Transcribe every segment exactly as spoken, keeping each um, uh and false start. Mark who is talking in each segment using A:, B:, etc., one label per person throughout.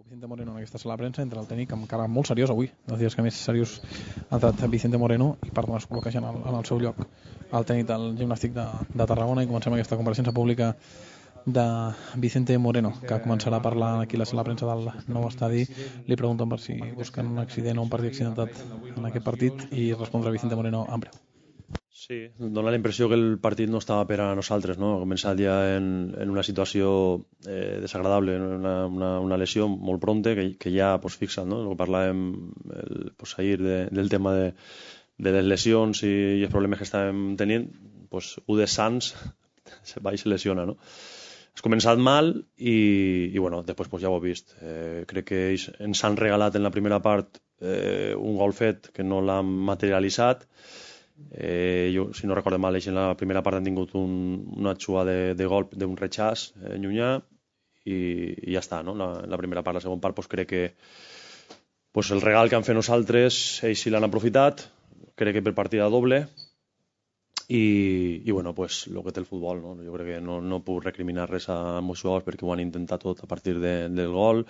A: Vicente Moreno en aquesta sala de premsa, entre el tècnic amb cara molt seriós avui, dels dies que més seriós ha entrat Vicente Moreno, i per donar es col·loca ja en el, en el seu lloc el tècnic del gimnàstic de, de Tarragona, i comencem aquesta compareixença pública de Vicente Moreno, que començarà a parlar aquí a la sala de premsa del nou estadi. Li pregunten per si busquen un accident o un partit accidentat en aquest partit, i respondrà Vicente Moreno en breu.
B: Sí, dona la impressió que el partit no estava per a nosaltres, no? Ha començat ja en, en una situació eh, desagradable, una, una, una lesió molt pronta que, que ja pues, fixa, no? El que parlàvem el, pues, ahir de, del tema de, de les lesions i, i els problemes que estàvem tenint, pues, un de Sants se va i se lesiona, no? Has començat mal i, i bueno, després pues, ja ho he vist. Eh, crec que ells ens han regalat en la primera part eh, un gol fet que no l'han materialitzat. Eh, jo, si no recordo mal, en la primera part han tingut un, una xua de, de gol d'un rechaç eh, llunyà i, i ja està, no? La, la primera part, la segona part pues, crec que pues, el regal que han fet nosaltres ells sí l'han aprofitat, crec que per partida doble i, i bueno, pues el que té el futbol, no? Jo crec que no, no puc recriminar res a molts jugadors perquè ho han intentat tot a partir de, del gol,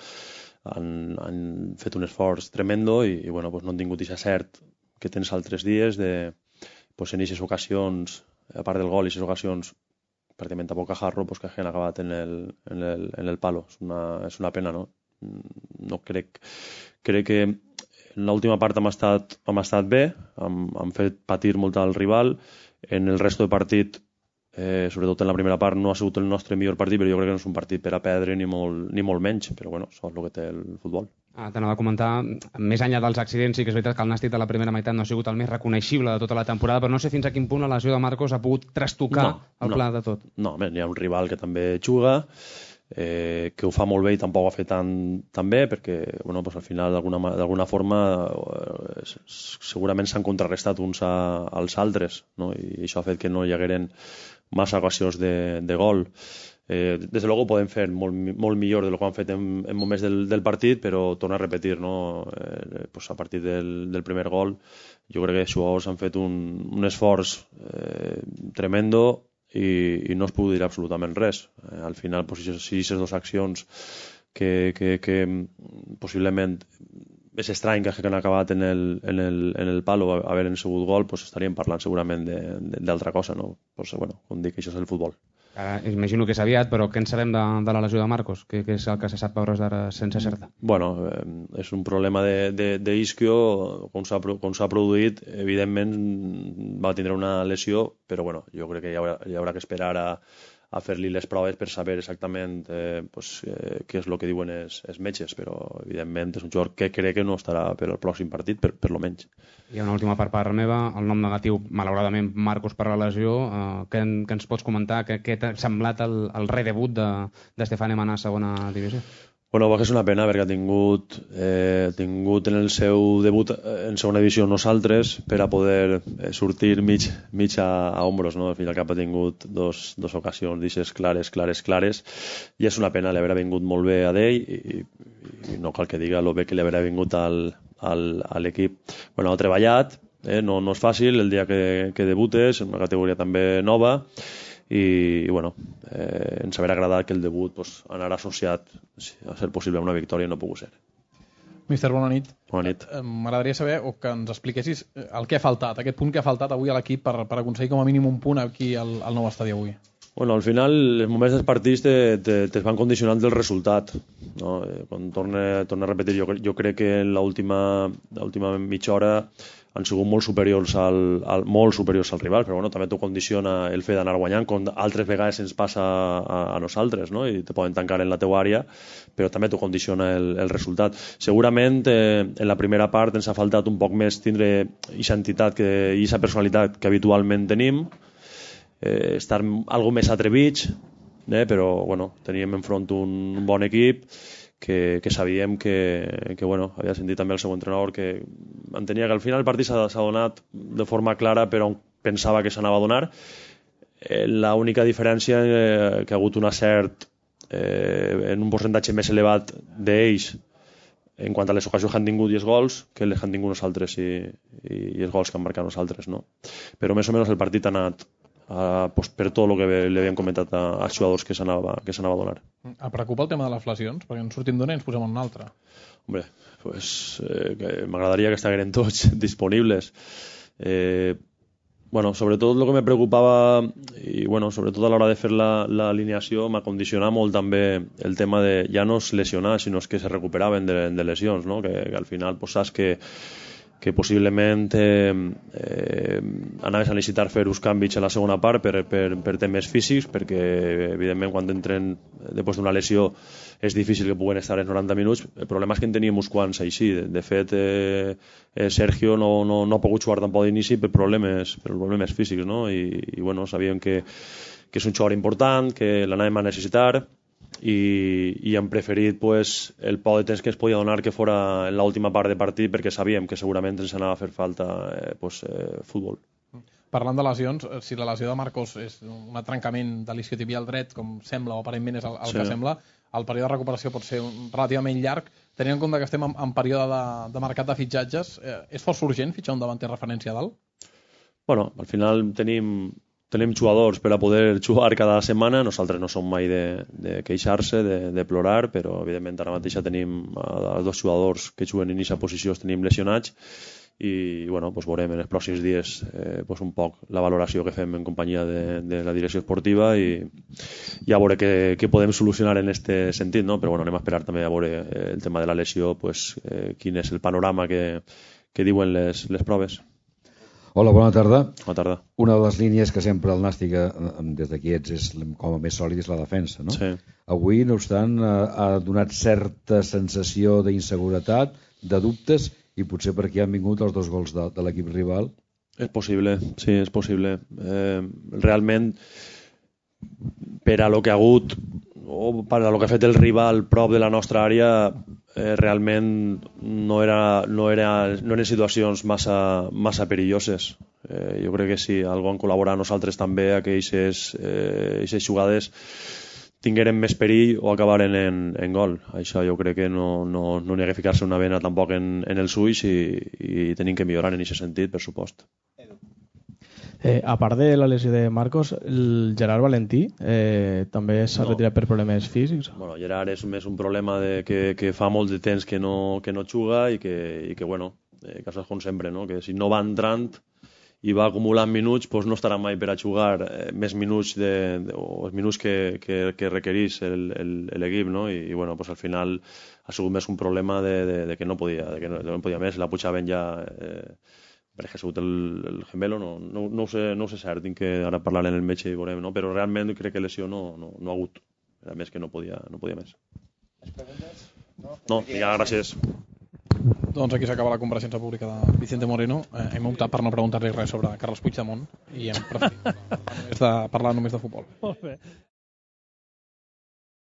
B: han, han fet un esforç tremendo i, i bueno, pues no han tingut aquest cert que tens altres dies de pues en aquestes ocasions, a part del gol, i aquestes ocasions pràcticament a bocajarro, pues que hagin acabat en el, en el, en el palo. És una, és una pena, no? No crec, crec que en l'última part hem estat, hem estat bé, hem, hem fet patir molt al rival, en el resto de partit, eh, sobretot en la primera part, no ha sigut el nostre millor partit, però jo crec que no és un partit per a perdre ni molt, ni molt menys, però bueno, això és el que té el futbol.
C: Ah, T'anava a comentar, més enllà dels accidents, sí que és veritat que el Nàstic de la primera meitat no ha sigut el més reconeixible de tota la temporada, però no sé fins a quin punt la lesió de Marcos ha pogut trastocar no, el
B: no,
C: pla de tot.
B: No, home, hi ha un rival que també juga, eh, que ho fa molt bé i tampoc ho ha fet tan, tan bé, perquè bueno, pues al final d'alguna forma eh, segurament s'han contrarrestat uns a, als altres, no? I això ha fet que no hi hagueren massa ocasions de, de gol. Eh, des de luego ho podem fer molt, molt millor de lo que han fet en, en moments del, del partit, però torna a repetir, no? Eh, pues a partir del, del primer gol jo crec que els jugadors han fet un, un esforç eh, tremendo i, i no es pugui dir absolutament res. Eh, al final, pues, si aquestes dues accions que, que, que possiblement és estrany que hagin acabat en el, en el, en el palo havent sigut gol, pues estaríem parlant segurament d'altra cosa, no? Pues, bueno, com dic, això és el futbol.
C: Ara, imagino que és aviat, però què en sabem de, de la lesió de Marcos? Què, què és el que se sap a hores d'ara sense certa?
B: Bueno, eh, és un problema d'isquio, com s'ha produït, evidentment va tindre una lesió, però bueno, jo crec que hi haurà, hi haurà que esperar a, a fer-li les proves per saber exactament eh, pues, eh, què és el que diuen els, els metges, però evidentment és un jugador que crec que no estarà per al pròxim partit, per, per lo menys.
C: Hi ha una última part part meva, el nom negatiu, malauradament, Marcos per la lesió. Eh, què, què ens pots comentar? Què, què t'ha semblat el, el redebut de, de Stefan Emana a segona divisió?
B: Bueno, és una pena perquè ha tingut, eh, tingut en el seu debut en segona divisió nosaltres per a poder eh, sortir mig, mig a, a ombros, no? Al final cap ha tingut dos, dos ocasions d'aixes clares, clares, clares, i és una pena, li haurà vingut molt bé a d'ell i, i no cal que diga lo bé que li haurà vingut al, al, a l'equip. Bueno, ha treballat, eh? no, no és fàcil el dia que, que debutes, en una categoria també nova, i, i bueno, eh, ens haurà agradat que el debut pues, anara associat a ser possible a una victòria i no ha pogut ser.
A: Míster, bona nit.
B: Bona nit.
A: M'agradaria saber o que ens expliquessis el que ha faltat, aquest punt que ha faltat avui a l'equip per, per aconseguir com a mínim un punt aquí al, al nou estadi avui.
B: Bueno, al final, els moments dels partits te, te, te van condicionant del resultat, no? Quan torne, torne a repetir, jo, jo crec que en l'última mitja hora han sigut molt superiors al, al, molt superiors al rival, però bueno, també t'ho condiciona el fet d'anar guanyant, com altres vegades ens passa a, a nosaltres, no? I te poden tancar en la teua àrea, però també t'ho condiciona el, el resultat. Segurament eh, en la primera part ens ha faltat un poc més tindre aquesta entitat i aquesta personalitat que habitualment tenim, eh, estar algo més atrevits, eh, però bueno, teníem enfront un, un bon equip que, que sabíem que, que bueno, havia sentit també el seu entrenador que entenia que al final el partit s'ha donat de forma clara però pensava que s'anava a donar. Eh, l'única diferència eh, que ha hagut un acert eh, en un percentatge més elevat d'ells en quant a les ocasions que han tingut i els gols que les han tingut nosaltres i, i, i els gols que han marcat nosaltres, no? Però més o menys el partit ha anat a, pues, per tot el que li havien comentat a, als jugadors que s'anava que s'anava a donar.
A: Et preocupa el tema de les lesions? Perquè en sortim d'una i ens posem en una altra.
B: Hombre, pues, eh, m'agradaria que estigueren tots disponibles. Eh, bueno, sobretot el que me preocupava i bueno, sobretot a l'hora de fer l'alineació m'ha condicionat molt també el tema de ja no es lesionar, sinó que se recuperaven de, de lesions, no? que, que al final pues, saps que que possiblement eh, eh, anaves a necessitar fer uns canvis a la segona part per, per, per temes físics, perquè evidentment quan entren després d'una lesió és difícil que puguen estar els noranta minuts. El problema és que en teníem uns quants així. De, de fet, eh, eh, Sergio no, no, no ha pogut jugar tampoc d'inici per problemes, per problemes físics, no? I, i bueno, sabíem que, que és un jugador important, que l'anàvem a necessitar, i, i hem preferit pues, el poc de temps que ens podia donar que fora en l'última part de partit, perquè sabíem que segurament ens anava a fer falta eh, pues, eh, futbol.
A: Parlant de lesions, si la lesió de Marcos és un trencament de l'isquiotibial dret, com sembla o aparentment és el, el sí. que sembla, el període de recuperació pot ser un, relativament llarg. Tenint en compte que estem en, en període de, de mercat de fitxatges, eh, és força urgent fitxar un davanter referència a dalt?
B: Bueno, al final tenim tenim jugadors per a poder jugar cada setmana. Nosaltres no som mai de, de queixar-se, de, de plorar, però evidentment ara mateix tenim els dos jugadors que juguen en aquesta posició, els tenim lesionats, i bueno, pues veurem en els pròxims dies eh, pues un poc la valoració que fem en companyia de, de la direcció esportiva, i ja veure què, què podem solucionar en aquest sentit, no? Però bueno, anem a esperar també a veure eh, el tema de la lesió, pues, eh, quin és el panorama que, que diuen les, les proves.
D: Hola, bona tarda.
B: Bona tarda.
D: Una de les línies que sempre el Nàstic, des d'aquí ets, és com a més sòlid, és la defensa, no?
B: Sí.
D: Avui, no obstant, ha donat certa sensació d'inseguretat, de dubtes, i potser per aquí han vingut els dos gols de, de l'equip rival.
B: És possible, sí, és possible. Eh, realment, per a lo que ha hagut, o per a lo que ha fet el rival prop de la nostra àrea, eh, realment no, era, no, era, no eren situacions massa, massa perilloses. Eh, jo crec que si algú han col·laborat nosaltres també a que aquestes eh, jugades tingueren més perill o acabaren en, en gol. Això jo crec que no, no, no n'hi ha que ficar-se una vena tampoc en, en els ulls, i, i tenim que millorar en aquest sentit, per supost.
E: Eh, a part de la lesió de Marcos, el Gerard Valentí eh, també s'ha no. retirat per problemes físics?
B: Bueno, Gerard és més un problema de que, que fa molt de temps que no, que no juga, i que, i que bueno, eh, casos com sempre, no? Que si no va entrant i va acumulant minuts, doncs no estarà mai per a jugar eh, més minuts de, de, o els minuts que, que, que requereix l'equip, no? I, i bueno, doncs al final ha sigut més un problema de, de, de que no podia, de que no, de no podia més, la pujaven ja... Eh, perquè ha sigut el, el gemelo, no, no, no, ho sé, no ho sé cert, tinc que ara parlar en el metge i veurem, no? Però realment crec que lesió no, no, no ha hagut, a més que no podia, no podia més. Les preguntes? No, no ja, gràcies.
A: Doncs aquí s'acaba la compareixença pública de Vicente Moreno. Eh, hem optat per no preguntar-li res sobre Carles Puigdemont i hem preferit parlar només de, parlar només de futbol.
E: Molt bé.